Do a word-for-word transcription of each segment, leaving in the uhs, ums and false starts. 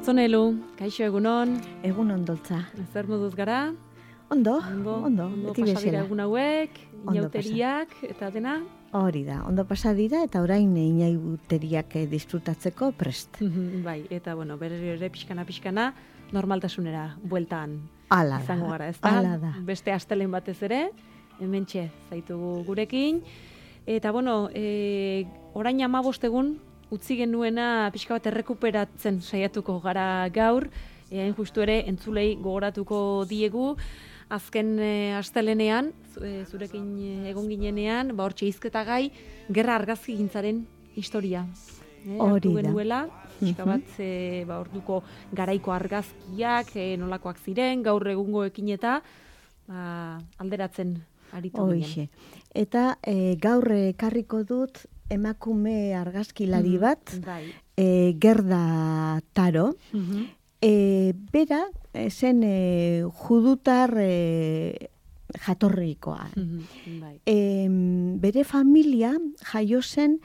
Otzonelu, kaixo egunon. Egun ondotza. Zer moduz gara? Ondo, Ondo, ondo, ondo beti pasa dira bezala. egun hauek, Ondo inauteriak eta dena. Hori da, ondo pasa dira eta orain inauteriak eh, disfrutatzeko prest. Bai, eta bueno, berriro ere pixkana-pixkana normaltasunera bueltan Ala izango da, gara, ezta? ala da. Beste astelen batez ere, hementxe zaitugu gurekin. Eta bueno, e, orain hamabost egun utzi genuena pixka bat errekuperatzen saiatuko gara gaur, e, hain justu ere entzulei gogoratuko diegu, azken e, astelenean, zu- e, zurekin e, egon ginenean, ba hortxe hizketa gai, gerra argazkigintzaren historia. E, Hori hartu da. genuela, pixka bat e, ba, orduko garaiko argazkiak, e, nolakoak ziren, gaur egungoekin eta ba, alderatzen aritu ginen. Hoixe. Eta eh, gaur ekarriko dut emakume argazkilari bat, Bai. eh, Gerda Taro. Mhm. E, bera, eh, zen e, judutar e, jatorrikoa. Mhm. Bai. E, bere familia jaio zen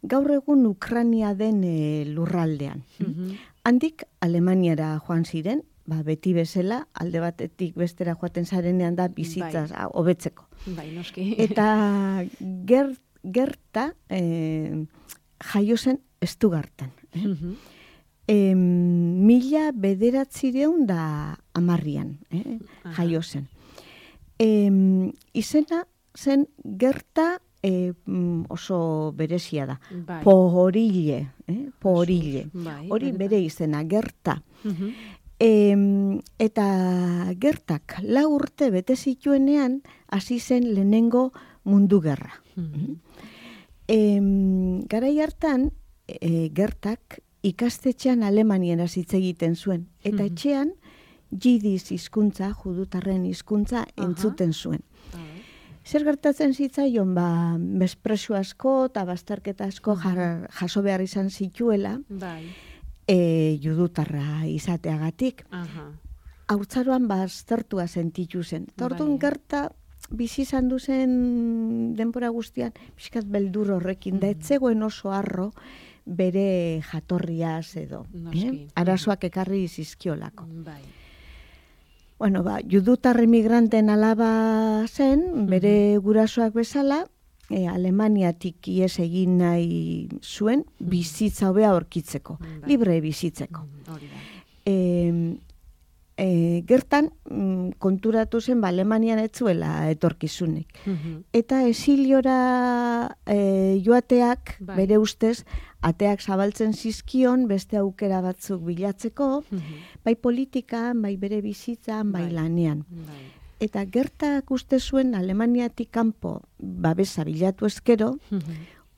gaur egun Ukrania den e, lurraldean. Mhm. Handik Alemaniara joan ziren, ba, beti bezala, alde batetik bestera joaten zarenean da bizitzaz ah, hobetzeko. Bai, noski. Eta ger, gerta e, jaio zen Estugartan. Eh? Mhm. E, mila bederatzireun da amarrian, eh? Aha. jaio zen. E, izena zen Gerta e, mm, oso berezia da. Bai. Pohorile, eh? Pohorile. Bai, Hori benetan. bere izena, Gerta. Mhm. E, eta Gertak lau urte bete zituenean hasi zen lehenengo mundu gerra. Mhm. E, garai hartan, e, Gertak ikastetxean Alemaniera hitz egiten zuen. Eta Mhm. etxean, jidiz hizkuntza, judutarren hizkuntza entzuten zuen. Bai. Zer gertatzen zitzaion, ba, mespresu asko eta bazterketa asko jar, jaso behar izan zituela, Bai. e, judutarra izateagatik. Aha. Haurtzaroan baztertua sentitu zen. Eta orduan Bai. Gerta bizi izan du zen denbora guztian, pixkat beldur horrekin, da etzegoen oso harro bere jatorriaz edo. Noski. Eh? Arazoak ekarri zizkiolako. Bai. Bueno, ba, judutar emigranten alaba zen, bere gurasoak bezala, e, Alemaniatik ihes egin nahi zuen, bizitza hobea aurkitzeko, Bai. libre bizitzeko. Mhm. Hori da. E, e, gertan, mm, konturatu zen, ba, Alemanian ez zuela etorkizunik. Mhm. Eta esiliora e, joateak, Bai. bere ustez, ateak zabaltzen zizkion, beste aukera batzuk bilatzeko, Mhm. bai politikan, bai bere bizitzan, bai Bai. lanean. Bai. Eta Gertak uste zuen Alemaniatik kanpo babesa bilatu ezkero, Mhm.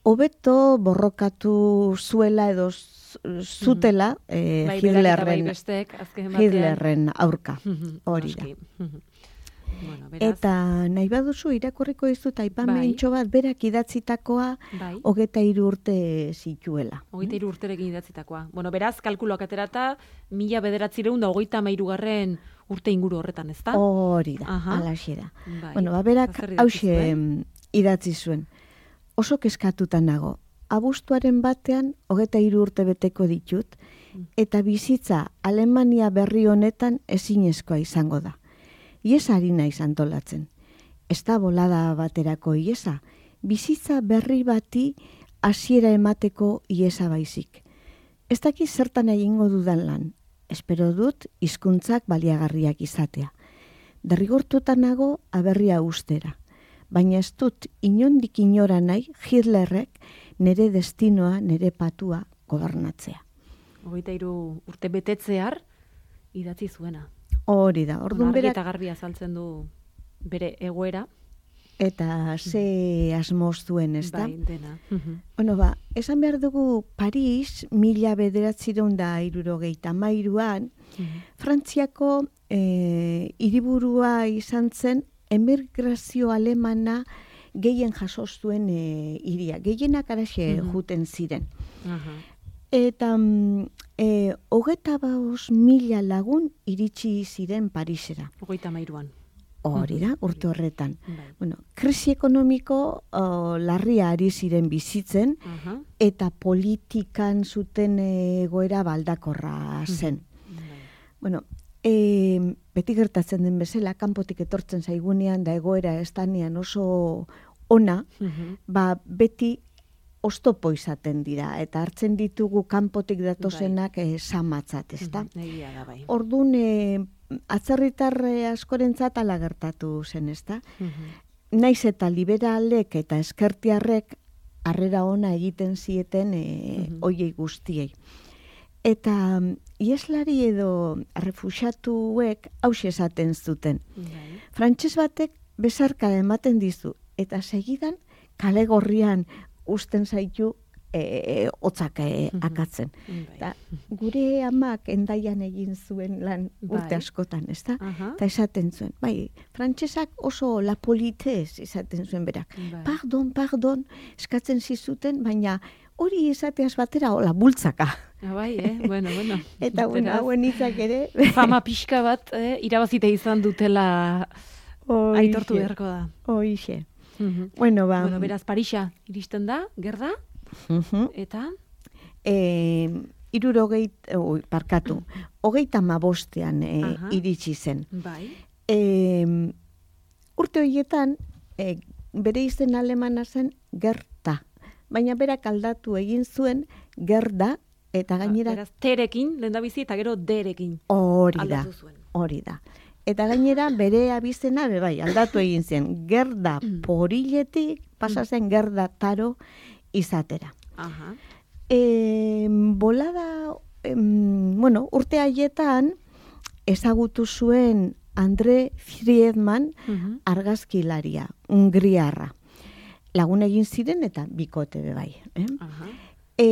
hobeto borrokatu zuela edo z- zutela eh, Bai, berak eta bai Hitlerren, bestek, azken batean. Hitlerren aurka. Mhm. Hori da. Noski. Mhm. Bueno, beraz, Eta nahi baduzu irakurriko dizut aipamentxo bat berak idatzitakoa bai. hogeta hiru urte zituela. Hogeita hiru urterekin idatzitakoa. Bueno, beraz, kalkuloak aterata, mila bederatzireun da hogeita hamairugarren urte inguru horretan, ezta? Hori da, Aha. alaxe da. Bai. Bueno, ba, berak Zer idatzi hause zuen? idatzi zuen. Oso kezkatuta nago. Abuztuaren batean hogeta hiru urte beteko ditut, eta bizitza Alemania berri honetan ezinezkoa izango da. Iesa ari naiz antolatzen. Ez da bolada baterako iesa, bizitza berri bati hasiera emateko iesa baizik. Ez dakit zertan egingo dudan lan. Espero dut hizkuntzak baliagarriak izatea. Derrigortuta nago aberria ustera. Baina ez dut inondik inora nahi Hitlerrek nere destinoa, nere patua gobernatzea. Hogeita hiru urte betetzear idatzi zuena. Hori da, orduan Argi berak eta garbi azaltzen du bere egoera. eta ze asmoz duen, ez da? Bai, dena. Mhm. Bueno, ba, esan behar dugu Paris, mila bederatzireun da hirurogeita hamairuan, Mhm. Frantziako eh, hiriburua izan zen emigrazio alemana gehien jaso zuen eh, hiria. Gehienak araxe Mhm. juten ziren. Aha. Eta mm, e, hogeta baos mila lagun iritsi ziren Parisera. Hogeita hamairuan. Hori da, urte horretan. Bai. Bueno, krisi ekonomiko o, larria ari ziren bizitzen, Aha. eta politikan zuten egoera baldakorra zen. Bueno, e, beti gertatzen den bezala, kanpotik etortzen zaigunean da egoera estanean oso ona, uh-huh. ba beti oztopo izaten dira, eta hartzen ditugu kanpotik datozenak bai. e, samatzat, ezta? Egia da, bai. Orduan, e, atzerritar askorentzat ala gertatu zen, ezta? Uh-huh. Naiz eta liberalek eta eskertiarrek harrera ona egiten zieten e, uh-huh. oiei guztiei. Eta ieslari edo refuxiatuek hauxe esaten zuten. Uh-huh. Frantses batek besarka ematen dizu, eta segidan kale gorrian usten zaitu e, hotzak e, akatzen. Ta, gure amak endaian egin zuen lan urte askotan, ez da? Eta esaten zuen, bai, frantsesak oso la politez esaten zuen berak. Bai. Pardon, pardon, eskatzen zizuten, baina hori esateaz batera, hola, bultzaka. Ah, bai, eh? Bueno, bueno. Eta bueno, hauen hitzak ere... Fama pixka bat, eh? irabazite izan dutela Oixe. Aitortu beharko da. Oixe. Uh-huh. Bueno, ba... Bueno, beraz, Parisa iristen da, gerda, uh-huh. eta... E, irurogeit, oi, parkatu, hogeita mabostean e, uh-huh. iritsi zen. Bai. E, urte horietan, e, bere izen alemana zen gerta. Baina berak aldatu egin zuen gerda, eta gainera... Beraz, terekin, lehendabizi, eta gero derekin. Hori da, hori da. Eta gainera bere abizena bai, aldatu egin zen, gerda poriletik pasa zen gerda taro izatera. Aha. E, bolada, em, bueno, urte haietan ezagutu zuen Andre Friedman uh-huh. argazkilaria, Hungriarra. Lagun egin ziren eta bikote be bai. Eh? Aha. E,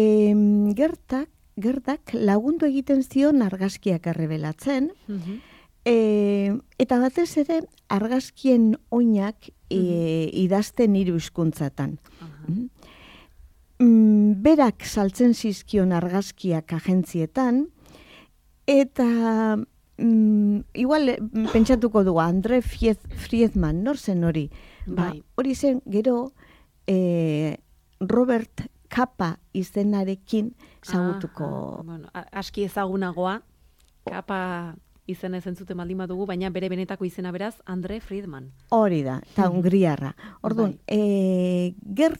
gertak, gerdak lagundu egiten zion argazkiak errebelatzen, uh-huh. E, eta batez ere argazkien oinak e, idazten hiru hizkuntzatan. Uh-huh. Mm, berak saltzen zizkion argazkiak agentzietan, eta mm, igual pentsatuko dugu Andre Friedman, nor zen hori? Ba, hori zen gero e, Robert Capa izenarekin zagutuko. Ah, bueno, aski ezagunagoa, Capa... izena ezen zuten baldin badugu, baina bere benetako izena beraz, Andre Friedman. Hori da, eta Hungriarra. Orduan, bai. e, ger,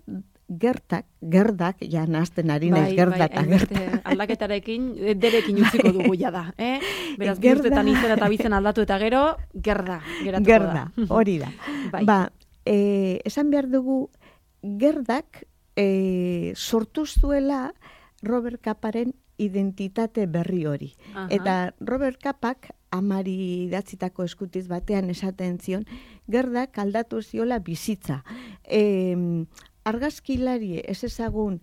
gertak, gerdak, ja nazten ari naiz, gerdak eta bai, gertak. Aldaketarekin, derekin utziko dugu ja da. Eh? Beraz, gertetan izena eta bizen aldatu eta gero, gerda. Gerda, da. hori da. Bai. Ba, e, esan behar dugu, gerdak e, sortu zuela Robert Caparen identitate berri hori. Aha. Eta Robert Capak amari datzitako eskutiz batean esaten zion, gerdak aldatu ziola bizitza. E, argazkilari ez ezagun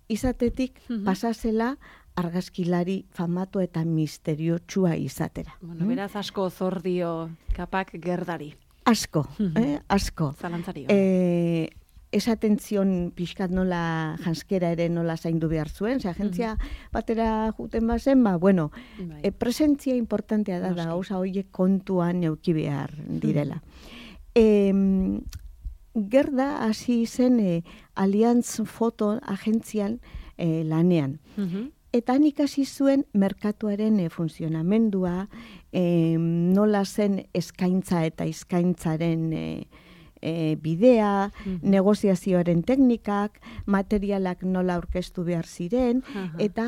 izatetik uh-huh. pasazela argazkilari famatu eta misteriotsua izatera. Bueno, beraz asko zor dio Capak gerdari. Asko, uh-huh. eh? asko. Zalantzari. E, esaten zion pixkat nola janskera ere nola zaindu behar zuen, ze agentzia mm-hmm. batera juten bazen, ba, bueno, bai. e, presentzia importantea da, da, gauza horiek kontuan euki behar direla. Mm-hmm. E, gerda hasi zen e, Allianz Foto agentzian e, lanean. Mm-hmm. Eta han ikasi zuen merkatuaren e, funtzionamendua, e, nola zen eskaintza eta eskaintzaren e, E, bidea, uh-huh. negoziazioaren teknikak, materialak nola aurkeztu behar ziren, uh-huh. eta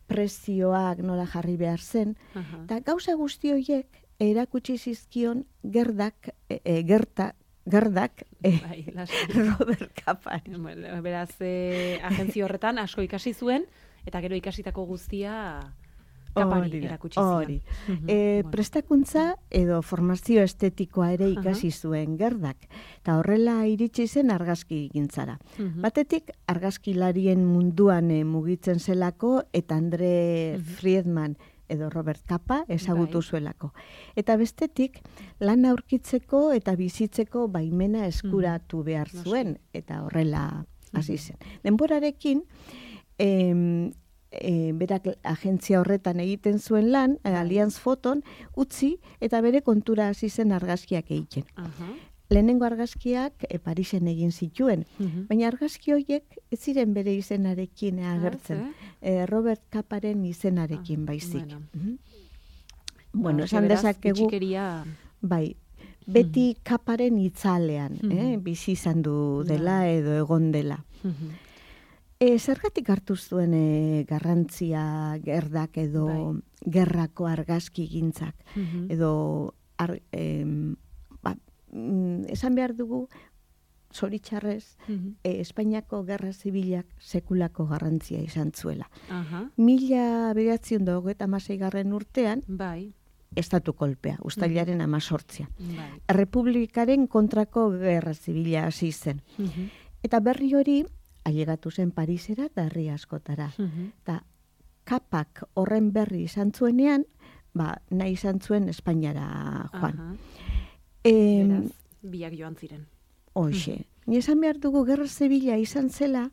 prezioak nola jarri behar zen. Uh-huh. Eta gauza guzti horiek erakutsi zizkion gerdak, e, e, gerta, gerdak e, bai, Robert Capari. Beraz, e, agentzio horretan asko ikasi zuen, eta gero ikasitako guztia... Kapari erakutsi zion. Hori. Uh-huh. E, bueno. Prestakuntza edo formazio estetikoa ere ikasi uh-huh. zuen gerdak. Eta horrela iritsi zen argazki gintzara. Uh-huh. Batetik argazkilarien munduan e, mugitzen zelako eta Andre uh-huh. Friedman edo Robert Capa ezagutu zuelako. Eta bestetik lan aurkitzeko eta bizitzeko baimena eskuratu uh-huh. behar zuen eta horrela hasi zen. Uh-huh. Denborarekin em, E, berak agentzia horretan egiten zuen lan, e, Allianz Foton, utzi eta bere kontura hasi zen argazkiak egiten. Uh-huh. Lehenengo argazkiak e, Parisen egin zituen, uh-huh. baina argazki horiek ez ziren bere izenarekin agertzen. Uh-huh. E, Robert Caparen izenarekin uh-huh. baizik. Bueno. Uh-huh. Bueno, esan dezakegu, bitxikeria... bai, beti kaparen itzalean, eh, bizi izan du dela edo egon dela. E, zergatik hartu zuen e, garrantzia gerdak edo bai. Gerrako argazki gintzak, edo ar, e, ba, esan behar dugu, zoritxarrez, e, Espainiako Gerra Zibilak sekulako garrantzia izan zuela. Uh-huh. Mila bederatziehun eta hogeita hamaseigarren urtean, bai. Estatu kolpea, uztailaren amazortzia. Bai. Errepublikaren kontrako Gerra Zibila hasi zen. Uh-huh. Eta berri hori, ailegatu zen Parisera eta herri askotara. Eta uh-huh. kapak horren berri izan zuenean, ba, nahi izan zuen Espainiara joan. Uh-huh. E, Beraz, biak joan ziren. Hoxe. Uh-huh. Ni esan behar dugu Gerra Zibila izan zela,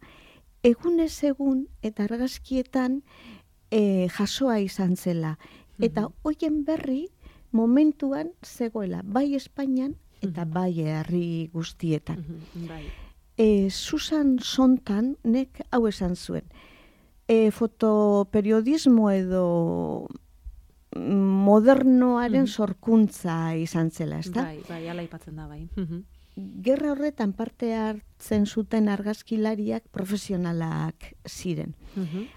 egunez egun eta argazkietan e, jasoa izan zela. Eta uh-huh. hoien berri momentuan zegoela, bai Espainian eta uh-huh. bai herri guztietan. Uh-huh. Bai. E, Susan Sontag nek hau esan zuen. E, fotoperiodismo edo modernoaren uh-huh. sorkuntza izan zela, ezta? Bai, bai, ala aipatzen da, bai. Uh-huh. Gerra horretan parte hartzen zuten argazkilariak profesionalak ziren.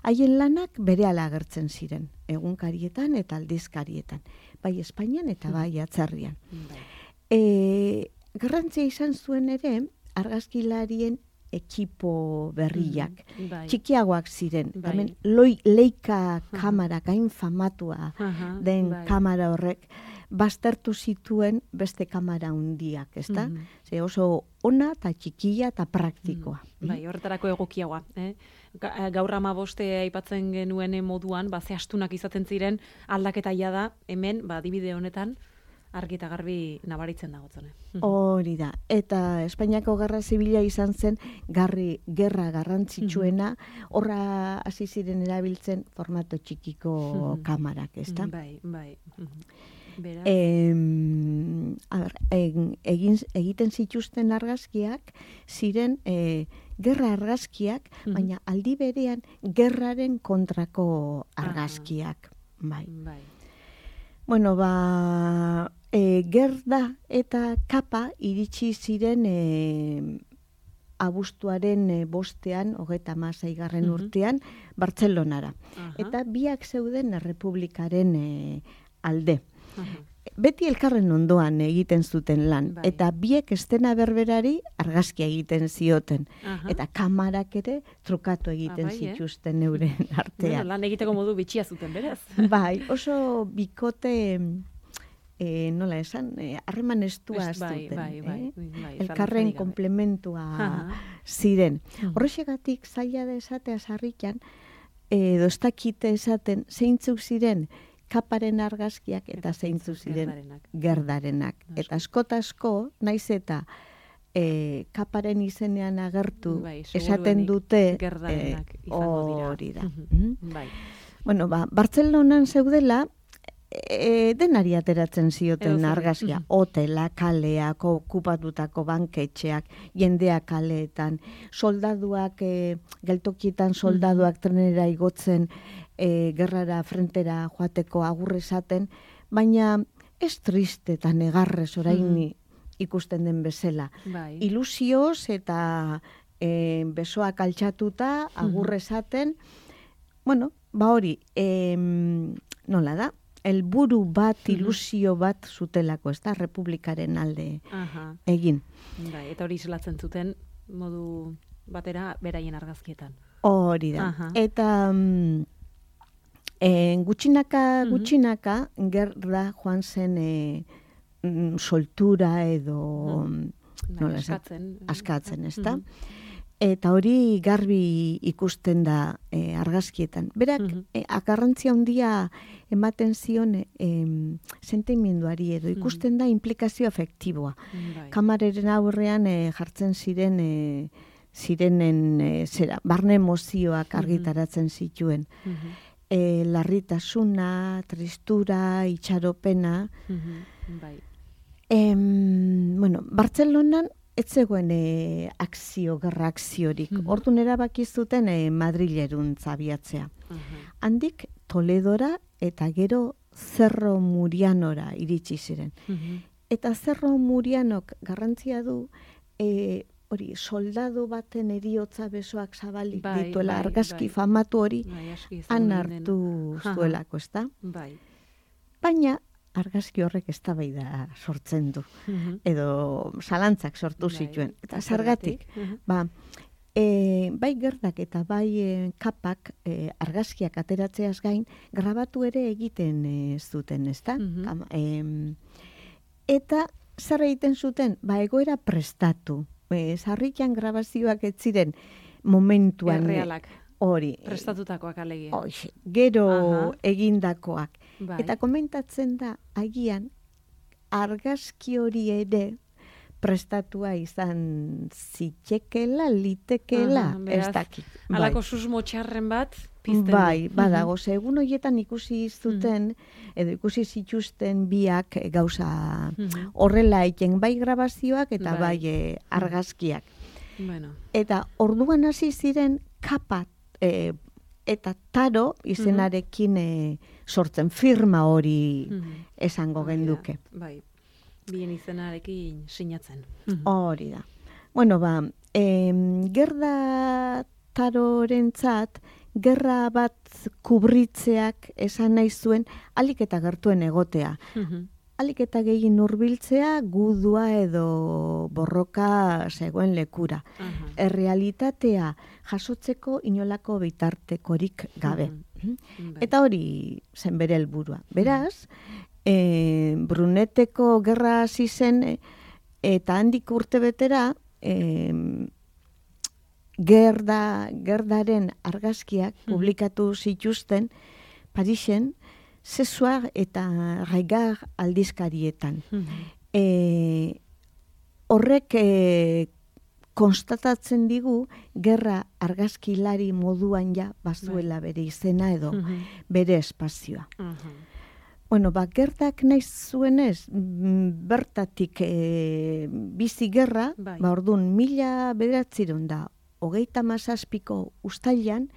Haien uh-huh. lanak berehala agertzen ziren, egunkarietan eta aldizkarietan, bai Espainian eta bai atzerrian. Uh-huh. E, garrantzia izan zuen ere, argazkilarien ekipo berriak. Mm, bai. Txikiagoak ziren. Bai. Hemen, loi, leika kamara, gain famatua uh-huh. den bai. Kamara horrek, baztertu zituen beste kamara hundiak, ezta? Mm-hmm. Ze oso ona eta txikia eta praktikoa. Mm. Bai, horretarako egokiagoa. Eh? Gaur hamaboste aipatzen genuen moduan, ba, ze astunak izaten ziren aldaketa da hemen, ba, adibide honetan, argi eta garbi nabaritzen dagotzone. Hori da. Eta Espainiako Gerra Zibila izan zen garri, gerra garrantzitsuena, horra hasi ziren erabiltzen formato txikiko kamarak, ezta? Bai, bai. E, a ber, egin, egiten zituzten argazkiak ziren e, gerra argazkiak, baina aldi berean gerraren kontrako argazkiak. Bai. Bai. Bueno, ba, e, gerda eta kapa iritsi ziren e, abuztuaren e, bostean, hogeita hamaseigarren uh-huh. urtean, Bartzelonara. Uh-huh. Eta biak zeuden Errepublikaren e, alde. Uh-huh. Beti elkarren ondoan egiten zuten lan. Bai. Eta biek estena berberari argazkia egiten zioten. Uh-huh. Eta kamarak ere trukatu egiten ah, bai, zituzten eh? Euren artean. Bueno, lan egiteko modu bitxia zuten, beraz. Bai, oso bikote, eh, nola esan, harreman eh, estua zuten. Bai, bai, eh? bai, bai, elkarren komplementua uh-huh. ziren. Uh-huh. Horrexegatik zaila da esatea sarrikan, edo ez dakite esaten zeintzuk ziren kaparen argazkiak eta zeintzu ziren gerdarenak. gerdarenak. Eta askotasko, naiz eta e, kaparen izenean agertu bai, esaten dute gerdarenak e, izango hori dira. da. Mm-hmm. Bai. Bueno, ba, Bartzelonan zeudela e, denari ateratzen zioten Edo argazkia. Mm-hmm. Hotela, kaleak, okupatutako banketxeak, jendeak kaleetan, soldaduak, e, geltokietan soldaduak mm-hmm. trenera igotzen, E, gerrara frentera joateko agur esaten, baina ez triste eta negarrez orain mm. ikusten den bezala. Bai. Ilusioz eta e, besoak altxatuta agur esaten, mm. bueno, ba hori, e, nola da, helburu bat, ilusio bat zutelako, ez da, Republikaren alde Aha. egin. Bai, eta hori zelatzen zuten modu batera beraien argazkietan. Hori da. Aha. Eta... Mm, E, gutxinaka, gutxinaka, mm-hmm. gerra joan zen e, mm, soltura edo mm-hmm. nola, askatzen, askatzen ez da? Mm-hmm. Eta hori garbi ikusten da e, argazkietan. Berak, mm-hmm. e, akarrantzia handia ematen zion e, sentimenduari edo ikusten mm-hmm. da implikazio afektiboa. Mm-hmm. Kamareren aurrean e, jartzen ziren... E, zirenen e, zera, barne emozioak argitaratzen zituen. Mm-hmm. E, larritasuna, tristura, itxaropena. Mm-hmm. Bai. E, bueno, Bartzelonan ez zegoen e, akzio, gerra akziorik. Mm-hmm. Orduan erabaki zuten e, Madrilerun zabiatzea. Mm-hmm. Handik Toledora eta gero Zerro Murianora iritsi ziren. Mhm. Eta Zerro Murianok garrantzia du, e, hori, soldadu baten eriotza besoak zabalik Bai, dituela, bai, argazki bai. famatu hori, Bai, aski han ezagunen dena. hartu Aha. zuelako, ezta? Bai. Baina, argazki horrek eztabaida sortzen du. Mhm. Edo zalantzak sortu Bai, zituen. Eta zergatik? zergatik, Mhm. ba, e, bai gerdak eta bai e, kapak e, argazkiak ateratzeaz gain, grabatu ere egiten e, zuten, ezta? Mhm. Kam- em, eta zer egiten zuten? Ba, egoera prestatu. E, sarritan grabazioak ez ziren momentuan e, Errealak, hori. prestatutakoak alegia. Hoxe, gero Aha. egindakoak. Bai. Eta komentatzen da, agian, argazki hori ere prestatua izan zitekela, litekeela, Aha, beraz, ez dakit. Halako susmo txarren bat pizten du. Bai, badago, ze egun horietan ikusi zuten, edo ikusi zituzten biak e, gauza Mhm. horrela egiten bai grabazioak eta Bai. bai, e, argazkiak. Bueno. Eta orduan hasi ziren kapa e, eta taro izenarekin e, sortzen firma hori Mhm. esango Hori da, genduke. Bai. Bien izenarekin sinatzen. Hori da. Bueno, ba, em, gerda tarorentzat, gerra bat kubritzeak esan nahi zuen alik eta gertuen egotea. Mhm. Alik eta gehien hurbiltzea gudua edo borroka zegoen lekura. Aha. Errealitatea jasotzeko inolako bitartekorik gabe. Mhm. Bai. Eta hori zen bere helburua. Beraz, e, Bruneteko gerra hasi zen e, eta handik urte betera e, gerda, gerdaren argazkiak publikatu zituzten Parisen, Zesuar eta Raigar aldizkarietan. Mhm. E, horrek e, konstatatzen digu gerra argazkilari moduan ja bazuela bere izena edo Mhm. bere espazioa. Aha. Bueno, ba, gerdak nahi zuenez, mm, bertatik e, bizi gerra, Bai. ba, orduan, mila bederatziron da, hogeita mazazpiko ustailan,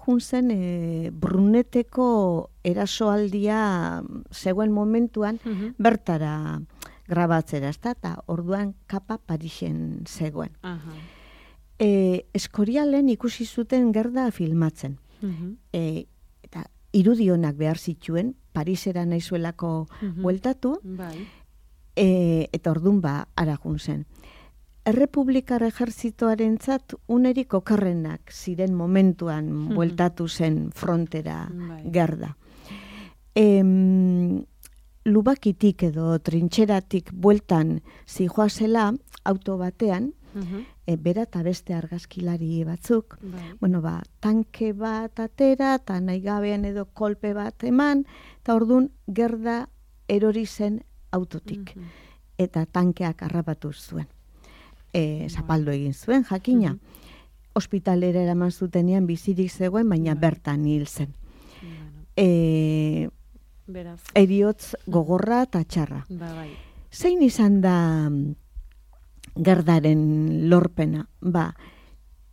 jun zen e, Bruneteko erasoaldia zegoen momentuan Mhm. bertara grabatzera, ezta? Eta orduan kapa Parisen zegoen. Aha. E, Eskorialen ikusi zuten gerda filmatzen. Mhm. E, eta irudionak behar zituen, Parisera naizuelako Mhm. bueltatu, Bai. e, eta ordun ba, ara jun zen. Errepublikar ejertzitoarentzat unerik okerrenak ziren momentuan bueltatu zen frontera Bai. gerda. Em, Lubakitik edo trintxeratik bueltan zijoazela auto batean, Mhm. e, bera eta beste argazkilari batzuk, Bai. bueno, ba, tanke bat atera, eta nahi gabean edo kolpe bat eman, eta orduan gerda erori zen autotik. Mhm. Eta tankeak harrapatu zuen. E, zapaldu egin zuen, jakina. Mhm. Ospitalera eraman zutenean bizirik zegoen, baina Bai. bertan hil zen. Bueno, E, beraz. eriotz gogorra eta txarra. Ba, bai. Zein izan da mm, gerdaren lorpena? Ba,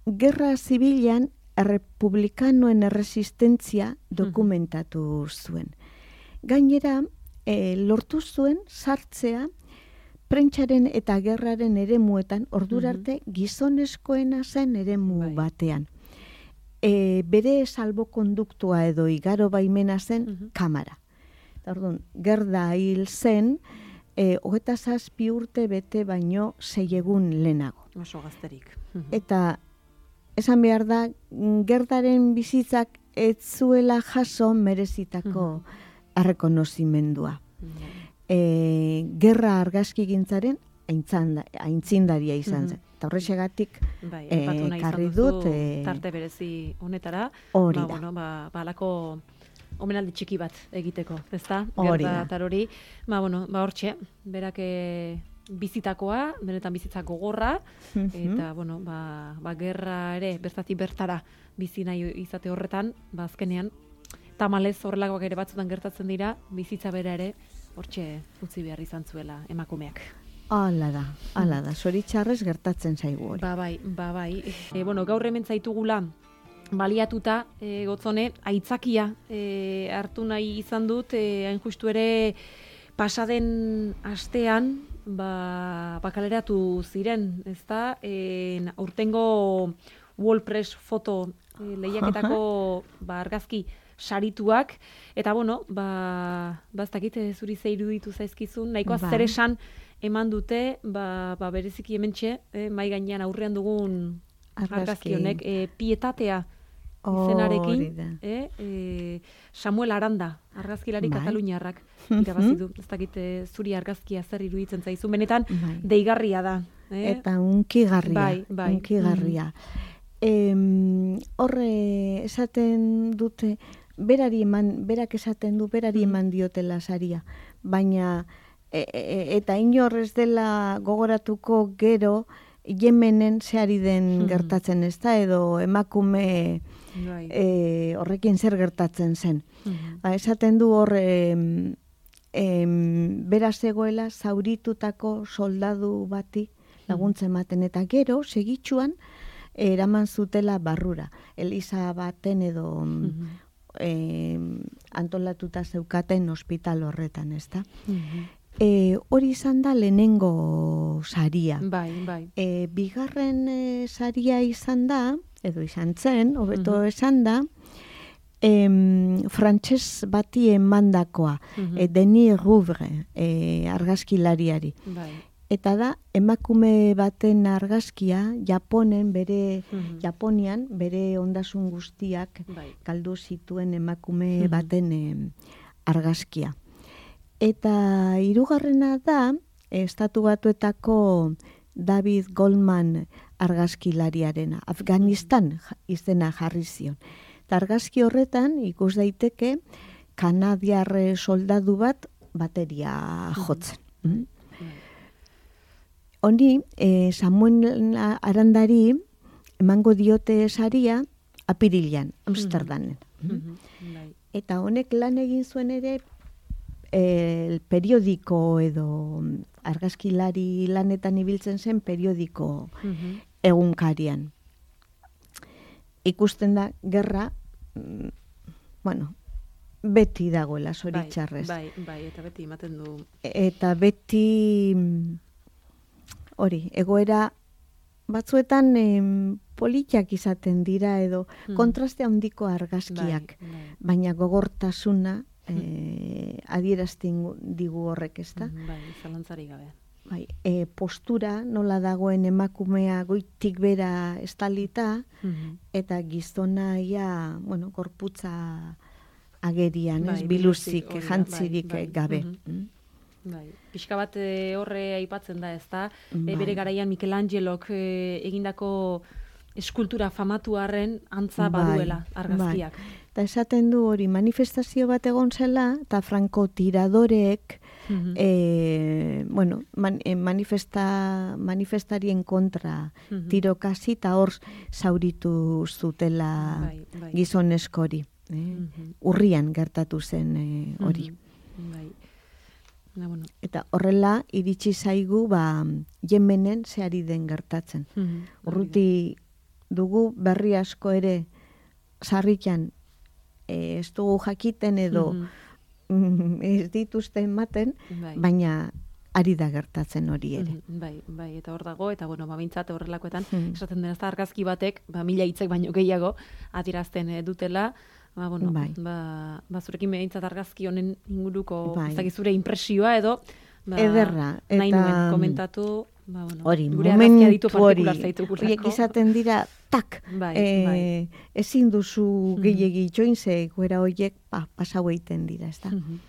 gerra zibilan errepublikanoen erresistentzia dokumentatu zuen. Gainera, e, lortu zuen sartzea prentsaren eta gerraren eremuetan ordurarte gizonezkoena zen eremu Bai. batean. E, bere salbokonduktua edo igaro baimena zen Mhm. kamara. Eta orduan, gerda hil zen, e, hogeta zazpi urte bete baino sei egun lehenago. Oso gazterik. Mhm. Eta esan behar da, mm, gerdaren bizitzak ez zuela jaso merezitako errekonozimendua. Bai. E, gerra argazkigintzaren aintzanda- aintzindaria izan zen. Eta horrexegatik Bai, eh, aipatu nahi izan ekarri duzu dut, eh, tarte berezi honetara. hori ba, da. Bueno, ba, ba, alako omenaldi txiki bat egiteko, ezta? Hori Gerda da. tarori. Ba, bueno, ba, hortxe, berak eh, bizitakoa, benetan bizitza gogorra, eta, bueno, ba, ba, gerra ere, bertatik bertara bizi nahi izate horretan, ba, azkenean, tamalez horrelakoak ere batzutan gertatzen dira, bizitza bera ere, hortxe utzi behar izan zuela emakumeak. Hala da, hala da. Zoritxarrez gertatzen zaigu hori. Ba bai, ba bai. E, bueno, gaur hemen zaitugula baliatuta, e, gotzone, aitzakia e, hartu nahi izan dut, e, hain justu ere pasaden astean, ba, bakaleratu ziren, ezta? E, aurtengo Wallpress foto e, lehiaketako ba, argazki sarituak, eta bueno, ba, baztakit zuri ze iruditu zaizkizun, nahikoa Ba. zer esan eman dute, ba, ba bereziki hementxe, eh, mai gainean aurrean dugun Argazki. argazki honek, eh, pietatea Hori izenarekin, da. eh, eh, Samuel Aranda, argazkilari Bai. kataluniarrak irabazi du. Ez dakit eh, zuri argazkia zer iruditzen zaizu, benetan Bai. deigarria da. Eh? Eta unkigarria. Bai, bai. Unkigarria. Em, horre esaten dute, berari eman, berak esaten du, berari eman diotela saria. Baina, e, e, eta inor ez dela gogoratuko gero, Yemenen zehari den gertatzen ez da, edo emakume Bai. e, horrekin zer gertatzen zen. Mhm. Ba, esaten du hor, em, em, bera zegoela zauritutako soldadu bati laguntzen ematen, eta gero, segitxuan, eraman zutela barrura. Eliza baten edo Mhm. em, antolatuta zeukaten ospital horretan, ez da? Mhm. E, hori izan da lehenengo saria. Bai, bai. E, bigarren e, saria izan da, edo izan zen, hobeto esan da, em, frantses bati emandakoa, Mhm. e, Denis Rouvre, e, argazkilariari. Bai. Eta da, emakume baten argazkia, Japonen, bere, Mhm. Japonian, bere ondasun guztiak Bai. galdu zituen emakume Mhm. baten em, argazkia. Eta hirugarrena da, Estatu Batuetako David Goldman argazkilariarena, Afganistan ja- izena jarri zion. Eta argazki horretan ikus daiteke kanadiar soldadu bat bateria jotzen. Mm? Honi, eh, Samuel Arandari emango diote saria apirilean, Amsterdamen. Mhm. Bai. Eta honek lan egin zuen ere el periodiko edo argazkilari lanetan ibiltzen zen periodiko Mhm. egunkarian. Ikusten da, gerra, mm, bueno, beti dagoela zoritxarrez. Bai, bai, bai, eta beti ematen du. Eta beti, mm, hori, egoera batzuetan em, politak izaten dira edo Mhm. kontraste handiko argazkiak, Bai, bai. baina gogortasuna eh, adierazten digu horrek, ez da? Mhm, Bai, zalantzari gabe. Bai, e, postura nola dagoen emakumea goitik bera estalita, Mhm. eta gizona ia, bueno, gorputza agerian, ez, Bai, biluzik, biluzik, hori da, jantzirik bai, bai. gabe. Mhm. Mm? Bai, pixka bat e, horre aipatzen da, ezta? E, Bai. bere garaian Michelangelok e, egindako eskultura famatu arren antza Bai, baduela argazkiak. Eta esaten du hori manifestazio bat egon zela, eta franko tiradoreek, Mhm. e, bueno, man, e, manifesta, manifestarien kontra Mhm. tirokasi, eta hor zauritu zutela Bai, bai. gizoneskori. Eh? Mhm. Urrian gertatu zen e, hori. Mhm. Bai. Na, bueno. Eta horrela iritsi zaigu ba Yemenen zeari den gertatzen. Mhm. Urruti dugu berri asko ere sarrikan e, ez dugu jakiten edo Mhm. ez dituzte ematen, Bai. baina ari da gertatzen hori ere. Mhm, Bai, bai, eta hor dago, eta bueno, ba, behintzat horrelakoetan, Mhm. esaten dena ez da argazki batek, ba, mila hitzek baino gehiago, adierazten eh, dutela, ba, bueno, Bai. ba, ba, zurekin behintzat argazki honen inguruko, Bai. ez dakit zure impresioa edo, ba, Ederra, nahi eta- nuen komentatu, ba, bueno, Hori, gure argazkia ditu momentu hori, partikular zaitugulako. horiek izaten dira, tak, Bai, eh, bai. ezin duzu gehiegi itxoin, ze goera horiek pa, pasau egiten dira, ez da? Mhm.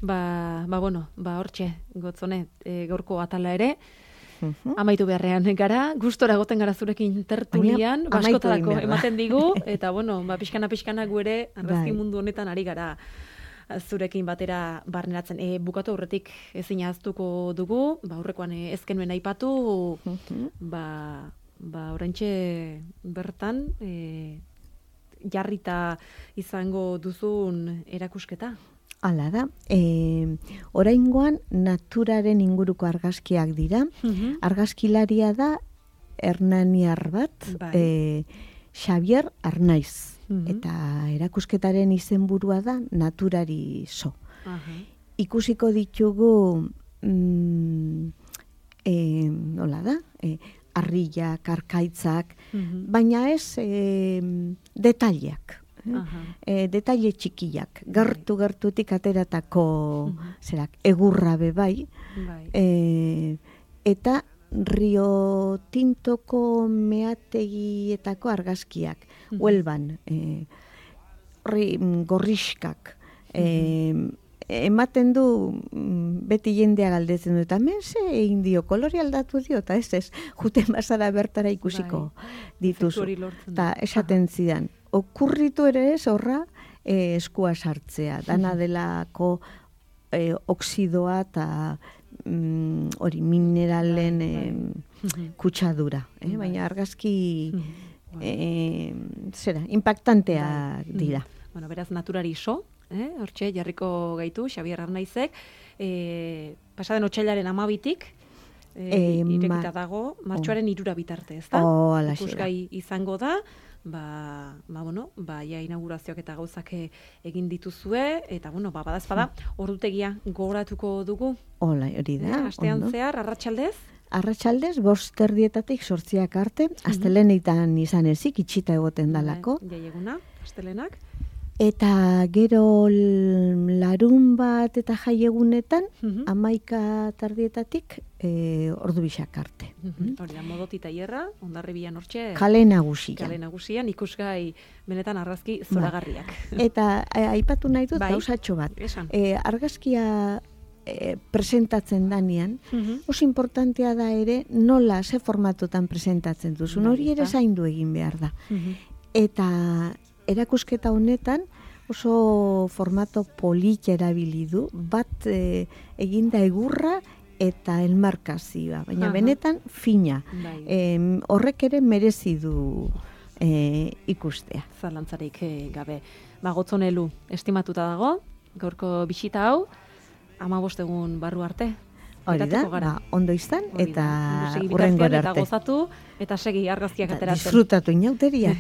Ba, ba, bueno, ba, hortxe, gotzone, e, gaurko atala ere, Mhm. amaitu beharrean gara, gustora goten gara zurekin tertulian, Baina, amaitu baskotarako egin behar da. ematen digu, eta bueno, ba, pixkana-pixkana gu ere, argazki Bai. mundu honetan ari gara zurekin batera barneratzen. E, bukatu aurretik ezin ahaztuko dugu, ba, aurrekoan e, ezkenuen aipatu, Mhm. ba, ba, oraintxe bertan, e, jarrita izango duzun erakusketa. Hala da, e, oraingoan naturaren inguruko argazkiak dira. Argazkilaria da Hernaniar bat, Bai. e, Xavier Arnaiz. Mhm. Eta erakusketaren izenburua da Naturari so. Aha. Ikusiko ditugu mm, e, nola da? E, harriak, arkaitzak, Mhm. baina ez e, detaileak. Aha. E, detaile txikiak, gertu gertutik ateratako Mhm. zerak, egurra be bai, Bai. e, eta Rio Tintoko meategietako argazkiak, Mhm. Huelban, e, horri mm, gorrixkak, e, ematen du mm, beti jendea galdetzen du, eta hemen ze egin dio, kolore aldatu dio, eta ez ez, juten bazara bertara ikusiko dituzu. Efektu hori lortzen da. Eta esaten zidan, okurritu ere ez horra e, eskua sartzea, dana delako e, oksidoa eta mm, hori mineralen Bai, e, Mhm. kutsadura, eh? Bai. Baina argazki Mhm. Bai. e, zera, impactantea Bai. dira. Mhm. Bueno, beraz, naturari so, eh? Hortxe, jarriko gaitu, Xabier Arnaizek, eh, pasaden otsailaren amabitik, eh, Eh, irekita ma- dago, martxoaren irura bitarte, ez da? Oh, alaxe da. Ikusgai izango da, ba, ba, bueno, ba, ja inaugurazioak eta gauzak e- egin dituzue, eta, bueno, ba, badazpada, ordutegia gogoratuko dugu, Hola, hori eh? da. Astean ondo. zehar, arratsaldez, Arratsaldez, bost erdietatik sortziak arte, astelenetan izan ezik, itxita egoten dalako. Bai, jaieguna, astelenak, Eta gero l- larun bat eta jaiegunetan, Mhm. amaika tardietatik, e, ordu bisak arte. Mhm. Hori da, modoti taierra, Hondarribian hortxe, Kale nagusian. kale nagusian, ikusgai benetan argazki zoragarriak. Eta a- aipatu nahi dut Bai. gauzatxo bat. Esan. E, argazkia e, presentatzen danean, Mhm. oso importantea da ere nola, ze formatotan presentatzen duzun. Bai, Hori ere ezta? zaindu egin behar da. Mhm. Eta erakusketa honetan oso formato polit erabili du, bat e, eginda egurra eta elmarkazioa, baina Aha. benetan fina. Bai, Em, horrek ere merezi du e, ikustea. zalantzarik eh, gabe. Ba, gotzonelu, estimatuta dago, gaurko bisita hau, amabost egun barru arte. Hori da, Geratuko gara. ba, ondo izan, Hori da. eta Ondo segi hurrengo bitartean, eta arte. gozatu, eta segi argazkiak Eta ateratzen. disfrutatu inauteriak.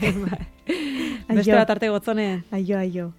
Beste bat arte gotzone. Aio, aio.